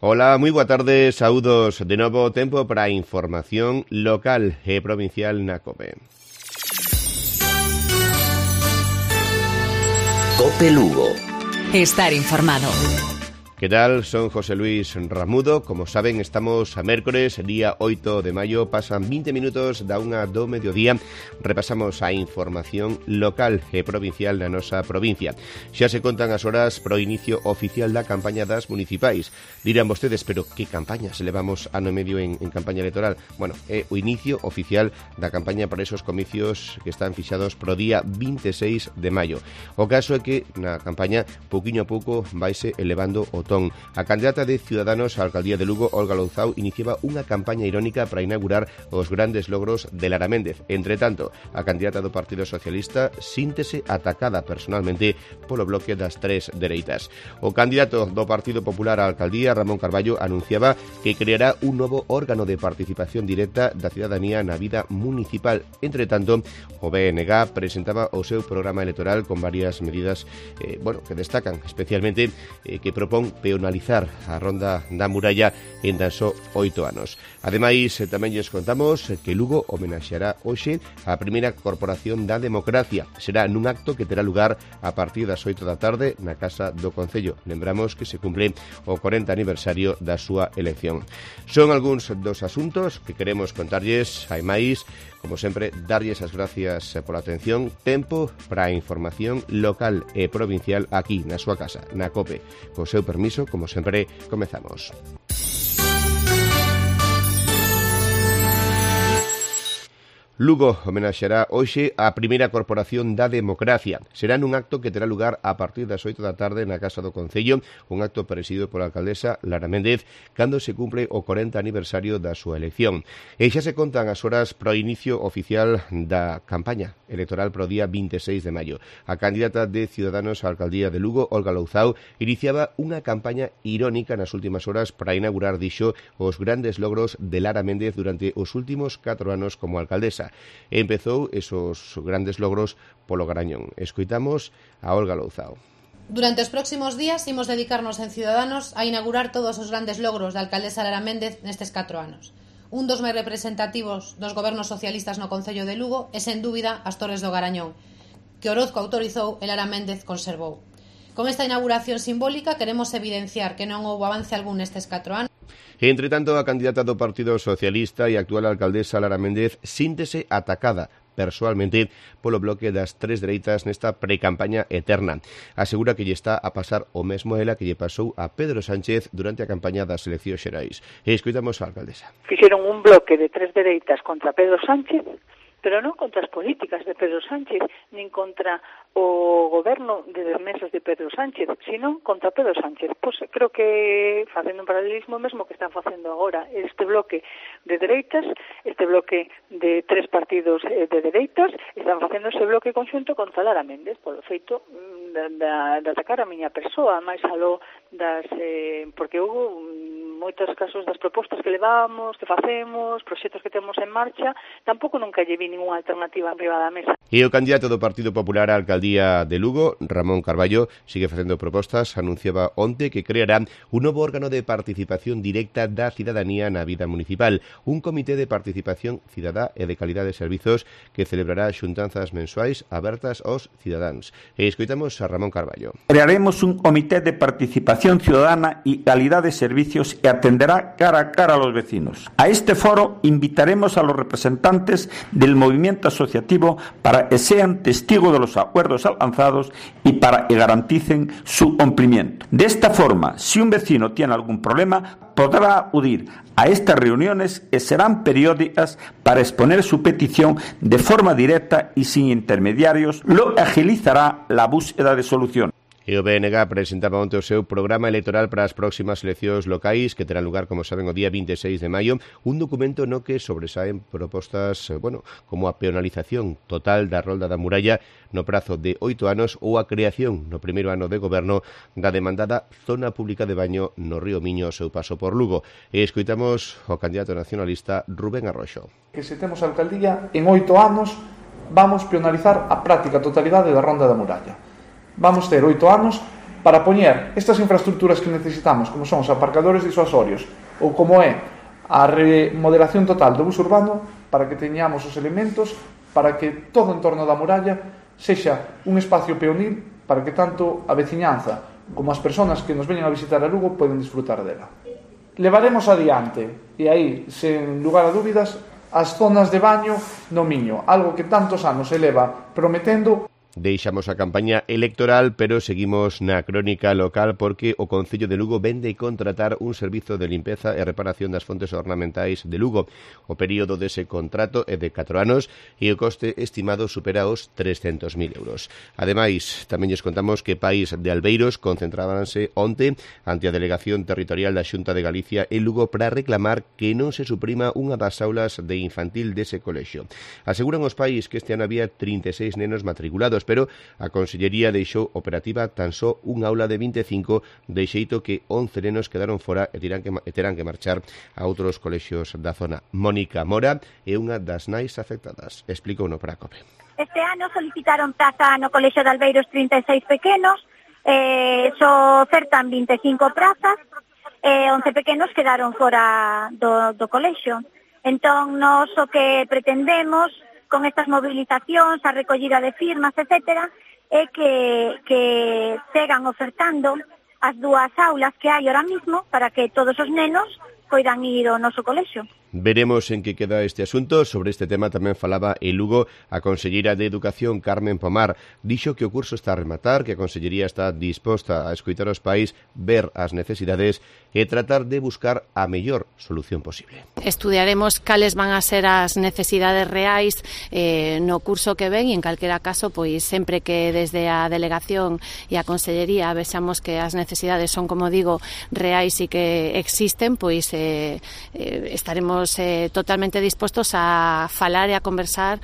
Ola, moi boa tarde, saúdos de novo, tempo para a información local e provincial na COPE. COPE Lugo. Estar informado. Que tal? Son José Luis Ramudo. Como saben, estamos a mércores, día 8 de maio. Pasan 20 minutos da unha do mediodía. Repasamos a información local e provincial na nosa provincia. Xa se contan as horas pro inicio oficial da campaña das municipais. Dirán vostedes, pero que campaña se levamos ano e medio en campaña electoral? Bueno, é o inicio oficial da campaña para esos comicios que están fixados pro día 26 de maio. O caso é que na campaña, pouquiño a pouco, vaise elevando o ton. A candidata de Ciudadanos á alcaldía de Lugo, Olga Louzao, iniciaba unha campaña irónica para inaugurar os grandes logros de Lara Méndez. Entre tanto, a candidata do Partido Socialista síntese atacada personalmente polo bloque das tres dereitas. O candidato do Partido Popular á alcaldía, Ramón Carballo, anunciaba que creará un novo órgano de participación directa da cidadanía na vida municipal. Entre tanto, o BNG presentaba o seu programa electoral con varias medidas que destacan, especialmente que propón peonalizar a ronda da muralla en tan só 8 anos. Ademais, tamén lles contamos que Lugo homenaxeará hoxe a primeira corporación da democracia. Será nun acto que terá lugar a partir das 8 da tarde na Casa do Concello. Lembramos que se cumple o 40 aniversario da súa elección. Son algúns dos asuntos que queremos contarlles. Hai máis, como sempre, darlles as gracias pola atención. Tempo para a información local e provincial aquí na súa casa, na COPE. Co seu permiso, como sempre, comezamos. Lugo homenaxeará hoxe a primeira corporación da democracia. Será nun acto que terá lugar a partir das 8 da tarde na Casa do Concello, un acto presidido pola alcaldesa Lara Méndez, cando se cumple o 40 aniversario da súa elección. E xa se contan as horas pro inicio oficial da campaña electoral pro día 26 de maio. A candidata de Ciudadanos á alcaldía de Lugo, Olga Louzao, iniciaba unha campaña irónica nas últimas horas para inaugurar, dixo, os grandes logros de Lara Méndez durante os últimos 4 anos como alcaldesa. Empezou esos grandes logros polo Garañón. Escoitamos a Olga Louzao. Durante os próximos días imos dedicarnos en Ciudadanos a inaugurar todos os grandes logros da alcaldesa Lara Méndez nestes 4 anos. Un dos máis representativos dos gobernos socialistas no Concello de Lugo é, sen dúbida, as Torres do Garañón, que Orozco autorizou e Lara Méndez conservou. Con esta inauguración simbólica queremos evidenciar que non houbo avance algún nestes 4 anos. Entre tanto, a candidata do Partido Socialista e actual alcaldesa Lara Méndez síntese atacada persoalmente polo bloque das tres dereitas nesta precampaña eterna. Asegura que lle está a pasar o mesmo ela que lle pasou a Pedro Sánchez durante a campaña das eleccións xerais. E escoitamos a alcaldesa. Fixeron un bloque de tres dereitas contra Pedro Sánchez, pero non contra as políticas de Pedro Sánchez, nin contra o goberno de meses de Pedro Sánchez, sino contra Pedro Sánchez. Pois creo que, facendo un paralelismo mesmo que están facendo agora este bloque de dereitas, este bloque de tres partidos de dereitas, están facendo ese bloque conxunto contra Lara Méndez, polo feito de atacar a miña persoa, máis aló das... porque houve moitos casos das propostas que levamos, que facemos, proxectos que temos en marcha, tampouco nunca lle vi ninguna alternativa arriba da mesa. E o candidato do Partido Popular á alcaldía de Lugo, Ramón Carballo, sigue facendo propostas. Anunciaba onte que creará un novo órgano de participación directa da cidadanía na vida municipal, un comité de participación cidadá e de calidade de servizos que celebrará xuntanzas mensuais abertas aos cidadáns. E escoitamos a Ramón Carballo. Crearemos un comité de participación ciudadana y calidad de servicios que atenderá cara a cara a los vecinos. A este foro invitaremos a los representantes del movimiento asociativo para que sean testigos de los acuerdos alcanzados y para que garanticen su cumplimiento. De esta forma, si un vecino tiene algún problema, podrá acudir a estas reuniones que serán periódicas para exponer su petición de forma directa y sin intermediarios, lo que agilizará la búsqueda de solución. E o BNG presentaba onte o seu programa electoral para as próximas eleccións locais que terán lugar, como saben, o día 26 de maio, un documento no que sobresaen propostas, como a peonalización total da rolda da muralla no prazo de 8 anos ou a creación no primeiro ano de goberno da demandada zona pública de baño no río Miño ao seu paso por Lugo. E escoitamos o candidato nacionalista Rubén Arroxo. Que se temos a alcaldía, en 8 anos vamos peonalizar a práctica totalidade da ronda da muralla. Vamos ter 8 anos para poñer estas infraestructuras que necesitamos, como son os aparcadores disuasorios ou como é a remodelación total do bus urbano, para que teñamos os elementos para que todo o entorno da muralla sexa un espacio peonil para que tanto a veciñanza como as persoas que nos veñen a visitar a Lugo poden disfrutar dela. Levaremos adiante, e aí, sen lugar a dúbidas, as zonas de baño no Miño, algo que tantos anos se leva prometendo. Deixamos a campaña electoral, pero seguimos na crónica local porque o Concello de Lugo vende contratar un servizo de limpeza e reparación das fontes ornamentais de Lugo. O período dese contrato é de 4 anos e o coste estimado supera os 300.000 euros. Ademais, tamén lles contamos que Pais de Albeiros concentrábanse onte ante a Delegación Territorial da Xunta de Galicia en Lugo para reclamar que non se suprima unha das aulas de infantil dese colexio. Aseguran os pais que este ano había 36 nenos matriculados, pero a Consellería deixou operativa tan só un aula de 25, de xeito que 11 nenos quedaron fora e terán que marchar a outros colexios da zona. Mónica Mora é unha das nais afectadas. Explicou no para a COPE. Este ano solicitaron praza no Colexio de Albeiros 36 pequenos, só ofertan 25 prazas, 11 pequenos quedaron fora do colexio. Entón, nós o que pretendemos con estas movilizacións, a recollida de firmas, etcétera, é que sigan ofertando as dúas aulas que hai ahora mismo para que todos os nenos poidan ir ao noso colexio. Veremos en que queda este asunto. Sobre este tema tamén falaba en Lugo a conselleira de Educación, Carmen Pomar. Dixo que o curso está a rematar, que a Consellería está disposta a escoitar os pais, ver as necesidades e tratar de buscar a mellor solución posible. Estudiaremos cales van a ser as necesidades reais no curso que ven e en calquera caso, pois sempre que desde a Delegación e a Consellería vexamos que as necesidades son, como digo, reais e que existen, pois estaremos totalmente dispostos a falar e a conversar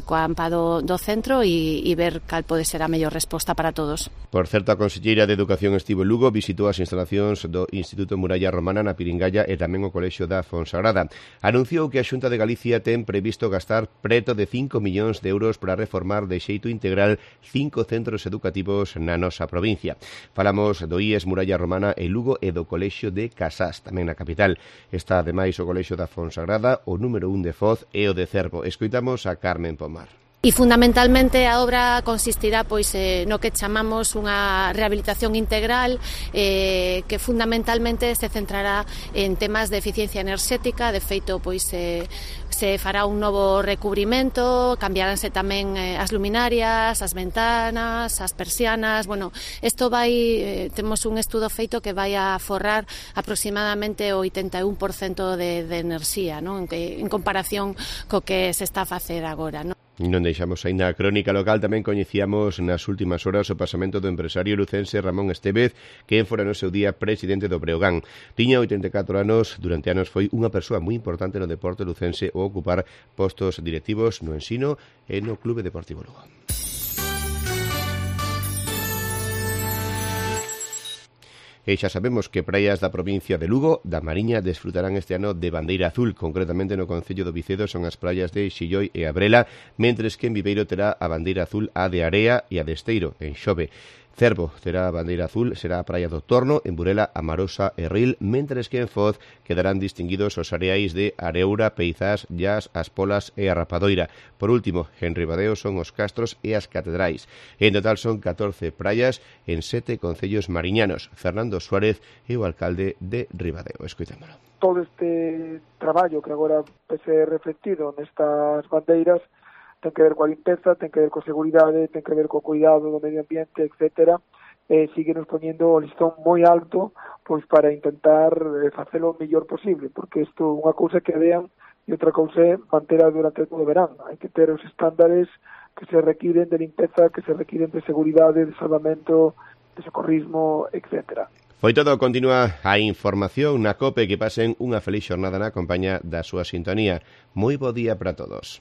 coa AMPA do centro e ver cal pode ser a mellor resposta para todos. Por certo, a conselleira de Educación estivo en Lugo, visitou as instalacións do Instituto Muralla Romana na Piringalla e tamén o Colexio da Fonsagrada. Anunciou que a Xunta de Galicia ten previsto gastar preto de 5 millóns de euros para reformar de xeito integral 5 centros educativos na nosa provincia. Falamos do IES Muralla Romana en Lugo e do Colexio de Casás, tamén na capital. Está ademais o Colexio da Fonsagrada, o número 1 de Foz e o de Cervo. Escoitamos a Carmen Pomar. E fundamentalmente a obra consistirá pois no que chamamos unha rehabilitación integral que fundamentalmente se centrará en temas de eficiencia enerxética. De feito, pois se fará un novo recubrimento, cambiaránse tamén as luminarias, as ventanas, as persianas. Bueno, isto vai, temos un estudo feito que vai a forrar aproximadamente o 81% de enerxía, non? En comparación co que se está a facer agora, non? Non deixamos aí na crónica local. Tamén coñecíamos nas últimas horas o pasamento do empresario lucense Ramón Estévez, que fora no seu día presidente do Breogán. Tiña 84 anos, durante anos foi unha persoa moi importante no deporte lucense ao ocupar postos directivos no ensino e no Clube Deportivo Lugo. E xa sabemos que praias da provincia de Lugo, da Mariña, desfrutarán este ano de bandeira azul. Concretamente no concello do Vicedo son as praias de Xilloi e Abrela, mentres que en Viveiro terá a bandeira azul a de Area e a de Esteiro, en Xove. Cervo terá a bandeira azul, será a praia do Torno, en Burela, Amarosa e Ril, mentres que en Foz quedarán distinguidos os areais de Areura, Peizás, Llas, As Polas e a Rapadoira. Por último, en Ribadeo son os castros e as catedrais. En total son 14 praias en 7 concellos mariñanos. Fernando Suárez é o alcalde de Ribadeo. Escoitámolo. Todo este traballo que agora pese reflectido nestas bandeiras ten que ver coa limpeza, ten que ver coa seguridade, ten que ver co cuidado do medio ambiente, etcétera. Síguenos poñendo o listón moi alto pois para intentar facelo o mellor posible, porque isto unha cousa que vean e outra cousa é mantera durante todo o verán. Hai que ter os estándares que se requiren de limpeza, que se requiren de seguridade, de salvamento, de socorrismo, etcétera. Foi todo, continúa a información na COPE. Que pasen unha feliz xornada na compañía da súa sintonía. Moi bo día para todos.